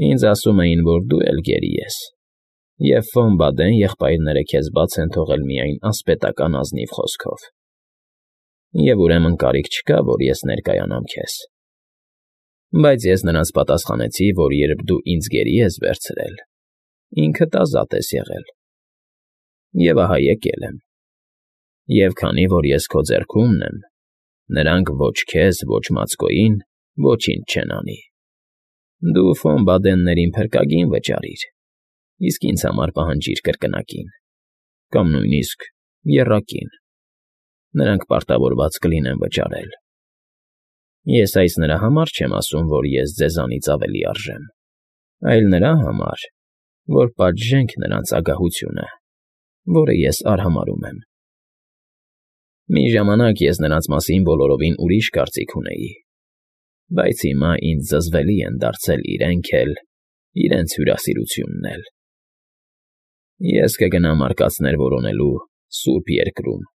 Ինձ ասում էին, որ դու էլ գերի ես, և Ֆոն Բադեն եղբայրները քեզ բաց են թողել միայն ասպետական ազնիվ խոսքով, և ուրեմն կարիք չկա, որ ես ներկայանամ քեզ։ Բայց ես նրանց պատասխանեցի, որ երբ դու ինձ գերի ես վերցրել, ինքդ ազատ ես եղել, և ահա եկել եմ, և քանի որ ես քո ձեռքումն եմ, նրանք ոչ քեզ, ոչ Մացկոյին ոչինչ չեն անի։ Դու Ֆոն Բադեններին փրկագին վճարիր, իսկ ինձ համար պահանջիր կրկնակին, կամ նույնիսկ եռակին, նրանք պարտավորված կլինեն վճարել։ Ես այս նրա համար չեմ ասում, որ ես ձեզանից ավելի արժեմ, այլ նրա համար, որ պատժենք նրանց ագահությունը, որը ես արհամարհում եմ։ Մի ժամանակ ես նրանց մասին բոլորովին ուրիշ կարծիք ունեի, բայց հիմա ինձ զզվելի են դարձել իրենք էլ, իրենց հյուրասիրությունն էլ։ Ես կգնամ արկածներ որոնելու սուրբ երկրում,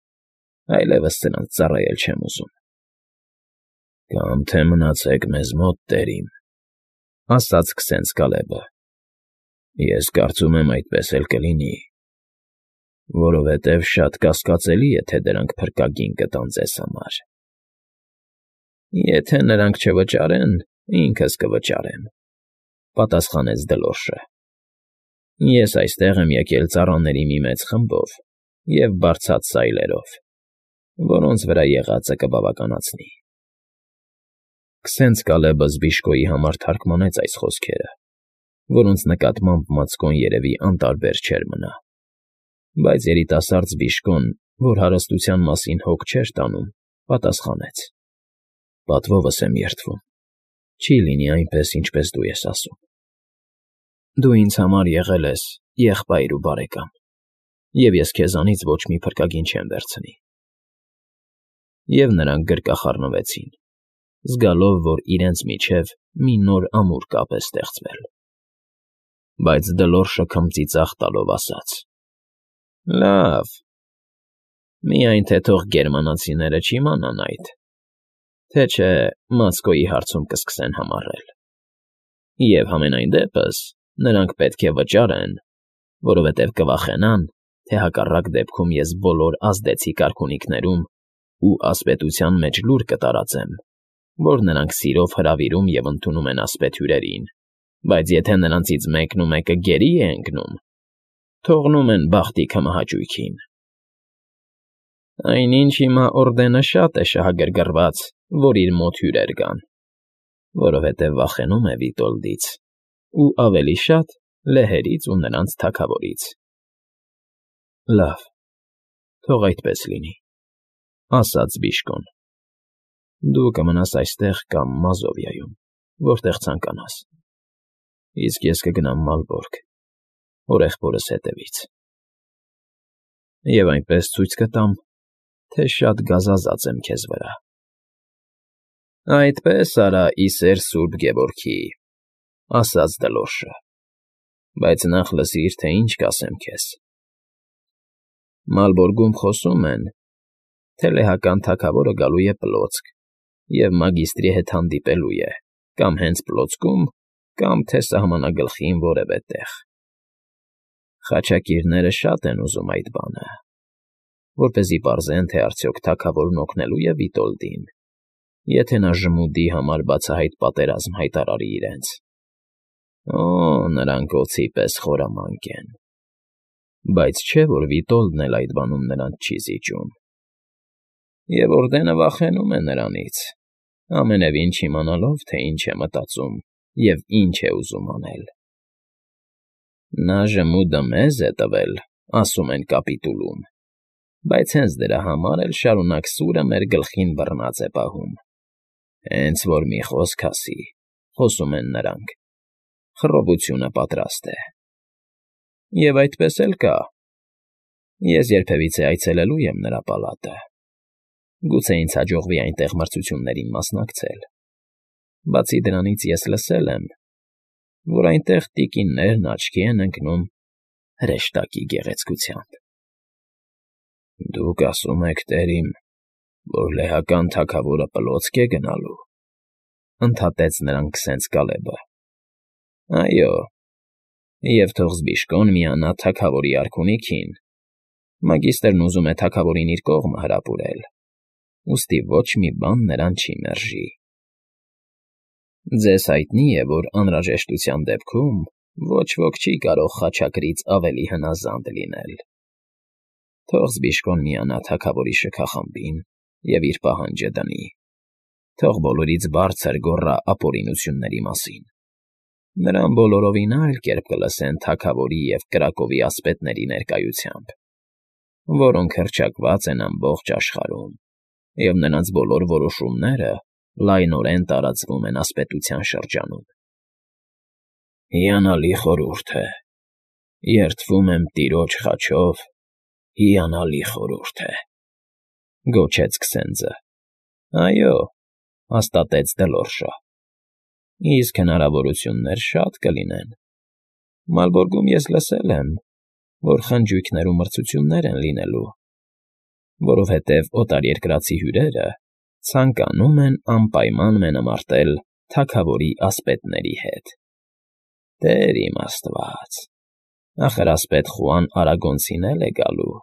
այլևս սրանց ծառայել չեմ ուզում։ Կամ թե մնացեք մեզ մոտ, տերիմ, ասաց քսենց Կալեբը։ Ես կարծում եմ այդպես էլ կլինի, որովհետև շատ կասկածելի է, թե դրանք փրկագին կտան ձեզ համար։ Եթե նրանք չվճարեն, ինքս կվճարեմ, պատասխանեց Դլորշը։ Ես այստեղ եմ եկել ծառաների մի մեծ խմբով և բարձած սայլերով, որոնց վրա եղածը կբավականացնի։ Քսենց Կալեբը Զբիշկոյի համար թարգմանեց այս խոսքերը, որոնց նկատմամբ Մացկոն երևի անտարբեր չէր մնա, բայց երիտասարդ Զբիշկոն, որ հարստության մասին հոգ չէր տանում, պատասխանեց. Պատվովս եմ երդվում, չի լինի այնպես, ինչպես դու ես ասում։ Դու ինձ համար եղել ես եղբայր ու բարեկամ, և ես քեզանից ոչ մի փրկագին չեմ վերցնի։ Եվ նրանք գրկախառնվեցին, զգալով, որ իրենց միջև մի նոր ամուր կապ է ստեղծվել։ Բայց Դլորշը քմծիծաղ տալով ասաց. Լավ, միայն թե թող գերմանացիները չիմանան այդ, թե չէ Մացկոյի հարցում կսկսեն համառել։ Եվ համենայն դեպս նրանք պետք է վճարեն, որովհետև կվախենան, թե հակառակ դեպքում ես բոլոր ազդեցիկ արքունիքներում ու ասպետության մեջ լուր կտարածեմ, որ նրանք սիրով հրավիրում և ընդունում են ասպետ հյուրերին, բայց եթե նրանցից մեկն ու մեկը գերի է ընկնում, թողնում են բախտի քմահաճույքին։ Այնինչ հիմա օրդենը շատ է շահագրգռված, որ իր մոտ հյուրեր գան, որովհետև վախենում է Վիտոլդից ու ավելի շատ լեհերից ու նրանց թագավորից։ Լավ, թող այդպես լինի, ասաց Բիշկոն։ Դու կմնաս այստեղ կամ Մազովիայում, որտեղ ցանկանաս, իսկ ես կգնամ Մալբորգ, հորեղբորս հետևից։ Եվ այնպես ցույց կտամ, թե շատ գազազած եմ քեզ վրա։ Այդպես արա, ի սեր Սուրբ Գևորգի, ասաց Դլորշը, բայց նախ լսիր, թե ինչ կասեմ քեզ։ Մալբորգում խոսում են, թե լեհական թագավորը գալու է Պլոցք և մագիստրի հետ հանդիպելու է կամ հենց Պլոցքում, կամ թե սահմանագլխին որևէ տեղ։ Խաչակիրները շատ են ուզում այդ բանը, որպեսզի պարզեն, թե արդյոք թագավորն օգնելու է Վիտոլդին, եթե նա ժմուդի համար բացահայտ պատերազմ հայտարարի իրենց։ Օ, նրանք օձի պես խորամանկ են, բայց չէ, որ Վիտոլդն էլ այդ բանում նրանց չի զիջում։ Եվ օրդենը վախենում է նրանից, ամենևին չիմանալով, թե ինչ է մտածում և ինչ է ուզում անել։ Նա ժմուդը մեզ է տվել, ասում են կապիտուլում, բայց հենց դրա համար էլ շարունակ սուրը մեր գլխին բռնած է պահում։ Հենց որ մի խոսք ասի, խոսում են նրանք, խռովությունը պատրաստ է։ Եվ այդպես էլ կա։ Ես երբևիցե այցելելու եմ նրա պալատը։ Գուցե ինձ հաջողվի այնտեղ մրցություններին մասնակցել։ Բացի դրանից ես լսել եմ, որ այնտեղ տիկիններն աչքի են ընկնում հրեշտակի գեղեցկությամբ։ Դուք ասում եք, տերիմ, որ լեհական թագավորը Պլոցք է գնալու, ընդհատեց նրան քսենց Կալեբը։ Այո, և թող Զբիշկոն միանա թագավորի արքունիքին. մագիստրն ուզում է թագավորին իր կողմը հրապուրել, ուստի ոչ մի բան նրան չի մերժի։ Ձեզ հայտնի է, որ անհրաժեշտության դեպքում ոչ ոք չի կարող խաչակրից ավելի հնազանդ լինել։ Թող Զբիշկոն միանա թագավորի շքախմբին և իր պահանջը դնի։ Թող բոլորից բարձր գոռա ապօրինությունների մասին։ Նրան բոլորովին այլ կերպ կլսեն թագավորի և կրակովի ասպետների ներկայությամբ, որոնք հռչակված են ամբողջ աշխարհում, և նրանց բոլոր որոշումները լայնորեն տարածվում են ասպետության շրջանում։ Հիանալի խորհուրդ է, երդվում եմ տիրոջ խաչով, հիանալի խորհուրդ է, գոչեց Քսենձը։ Այո, հաստատեց Դլորշը, իսկ հնարավորություններ շատ կլինեն։ Մալբորգում ես լսել եմ, որ խնջույքներում մրցություններ են լինելու, որովհետև օտարերկրացի հյուրերը ցանկանում են անպայման մենամարտել թագավորի ասպետների հետ։ Տեր իմ Աստված, ախր ասպետ Խուան Արագոնցին էլ է գալու,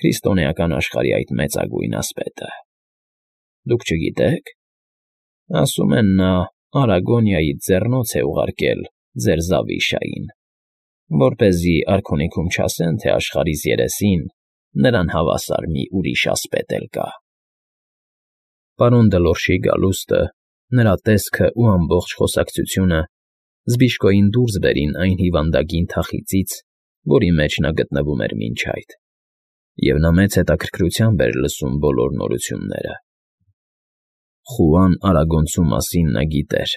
քրիստոնեական աշխարհի այդ մեծագույն ասպետը։ Դուք չգիտե՞ք։ Ասում են նա Արագոնիայից ձեռնոց է ուղարկել ձեր Զավիշային, որպեսզի արքունիքում չասեն, թե աշխարհիս երեսին նրան հավասար մի ուրիշ ասպետ էլ կա։ Պարոն Դլորշի գալուստը, նրա տեսքը ու ամբողջ խոսակցությունը Զբիշկոյին դուրս բերին այն հիվանդագին թախիծից, որի մեջ նա գտնվում էր մինչ այդ, և նա մեծ հետաքրքրությամբ էր լսում բոլոր նորությունները։ Խուան Արագոնցու մասին նա գիտեր։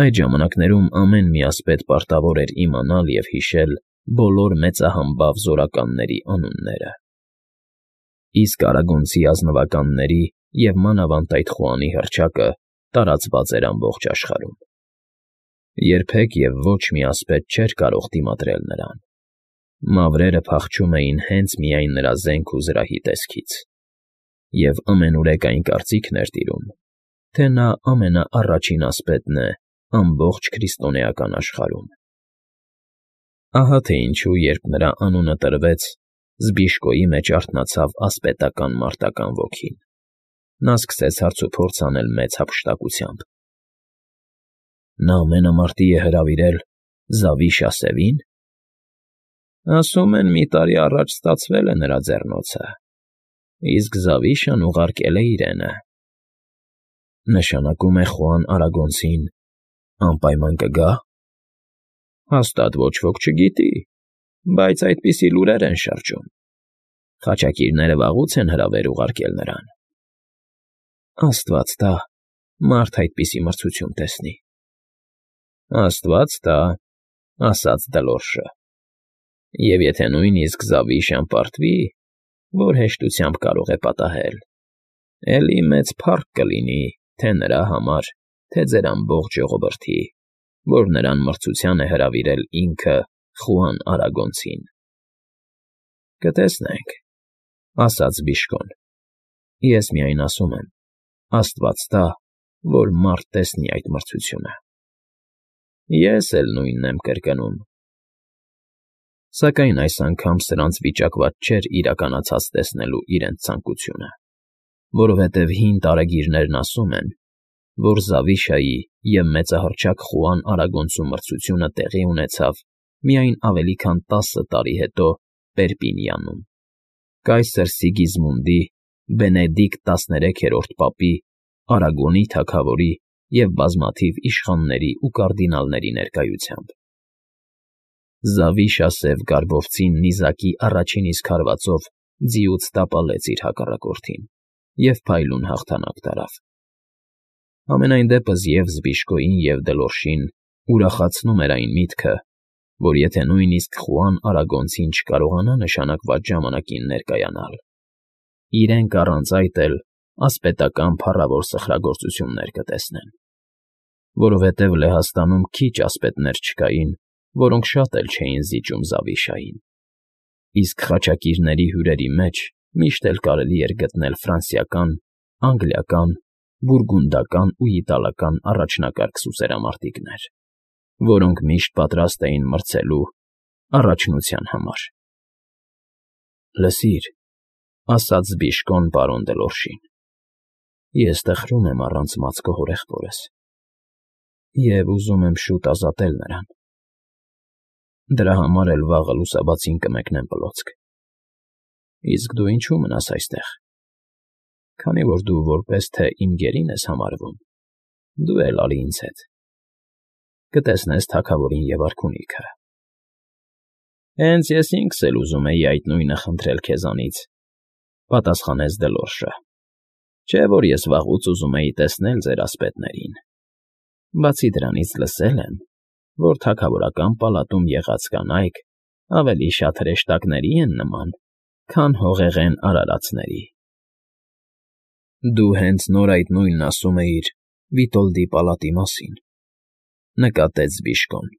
Այդ ժամանակներում ամեն մի ասպետ պարտավոր էր իմանալ և հիշել բոլոր մեծահամբավ զորականների անունները։ Իսկ Արագոնցի ազնվականների և մանավանդ այդ Խուանի հռչակը տարածված էր ամբողջ աշխարհում։ Երբեք և ոչ մի ասպետ չէր կարող դիմադրել նրան։ Մավրերը փախչում էին հենց միայն նրա զենք ու զրահի տեսքից, և ամենուրեք այն կարծիքն էր տիրում, թե նա ամենաառաջին ասպետն է ամբողջ քրիստոնեական աշխարհում։ Ահա թե ինչու, երբ նրա անունը տրվեց, Զբիշկոյի մեջ արթնացավ ասպետական մարտական ոգին։ Նա սկսեց հարցուփորձ անել մեծ հափշտակությամբ։ Նա մենամարտի է հրավիրել Զավիշա Սևին։ Ասում են, մի տարի առաջ ստացվել է նրա ձեռնոցը, իսկ Զավիշան ուղարկել է իրենը։ Նշանակում է Խուան Արագոնցին անպայման կգա։ Հաստատ ոչ ոք չգիտի, բայց այդպիսի լուրեր են շրջում։ Խաչակիրները վաղուց են հրավեր ուղարկել նրան։ Աստված տա, մարդ այդպիսի մրցություն տեսնի։ Աստված տա, ասաց Դլորշը։ Եվ եթե նույնիսկ Զավիշան պարտվի, որ հեշտությամբ կարող է պատահել, էլի մեծ փառք կլինի թե նրա համար, թե ձեր ամբողջ ժողովրդի, որ նրան մրցության է հրավիրել ինքը Խուան Արագոնցին։ Կտեսնենք, ասաց Զբիշկոն։ Ես միայն ասում եմ, Աստված տա, որ մարդ տեսնի այդ մրցությունը։ Ես էլ նույնն եմ կրկնում։ Սակայն այս անգամ սրանց վիճակված չէր իրականացած տեսնելու իրենց ցանկությունը, որովհետև հին տարեգիրներն ասում են, որ Զավիշայի և մեծահռչակ Խուան Արագոնցու մրցությունը տեղի ունեցավ միայն ավելի քան 10 տարի հետո Պերպինյանում, կայսր Սիգիզմունդի Բենեդիկտ 13-րդ պապի, Արագոնի թագավորի և բազմաթիվ իշխանների ու կարդինալների ներկայությամբ։ Զավիշա Սև Կարբովցին նիզակի առաջին իսկ հարվածով ձիուց տապալեց իր հակառակորդին և փայլուն հաղթանակ տարավ։ Համենայն դեպս և Զբիշկոյին և Դլորշին ուրախացնում էր այն միտքը, որ եթե նույնիսկ Խուան Արագոնցին չկարողանա նշանակված ժամանակին ներկայանալ, իրենք առանց այդ էլ ասպետական փառավոր սխրագործություններ կտեսնեն, որովհետև Լեհաստանում քիչ ասպետներ չկային, որոնք շատ էլ չէին զիջում Զավիշային, իսկ խաչակիրների հյուրերի մեջ միշտ էլ կարելի էր գտնել ֆրանսիական, անգլիական, բուրգունդական ու իտալական առաջնակարգ սուսերամարտիկներ։ որոնք միշտ պատրաստ էին մրցելու առաջնության համար։ ֊ Լսիր,֊ ասաց Բիժկոն պարոն Դլորշին,֊ ես տխրում եմ առանց մածկո հորեղբորս և ուզում եմ շուտ ազատել նրան. դրա համար էլ վաղը լուսաբացին կմեկնեմ պլոցք, իսկ դու ինչո՞ւ մնաս այստեղ, քանի որ դու որպես թե իմ գերին ես համարվում, դու էլ ալի ինձ հետ, կտեսնես թագավորին և արքունիքը։ ֊ Հենց ես ինքս էլ ուզում էի այդ նույնը խնդրել քեզանից,֊ պատասխանեց Դլորշը,֊ չէ որ ես վաղուց ուզում էի տեսնել ձեր ասպետներին, բացի դրանից լսել եմ, որ թագավորական պալատում եղած կանայք ավելի շատ հրեշտակների են նման, քան հողեղեն արարածների։ ֊ Դու հենց նոր այդ նույնն ասում էիր Վիտոլդի պալատի մասին,֊ նկատեց Բիժկոն։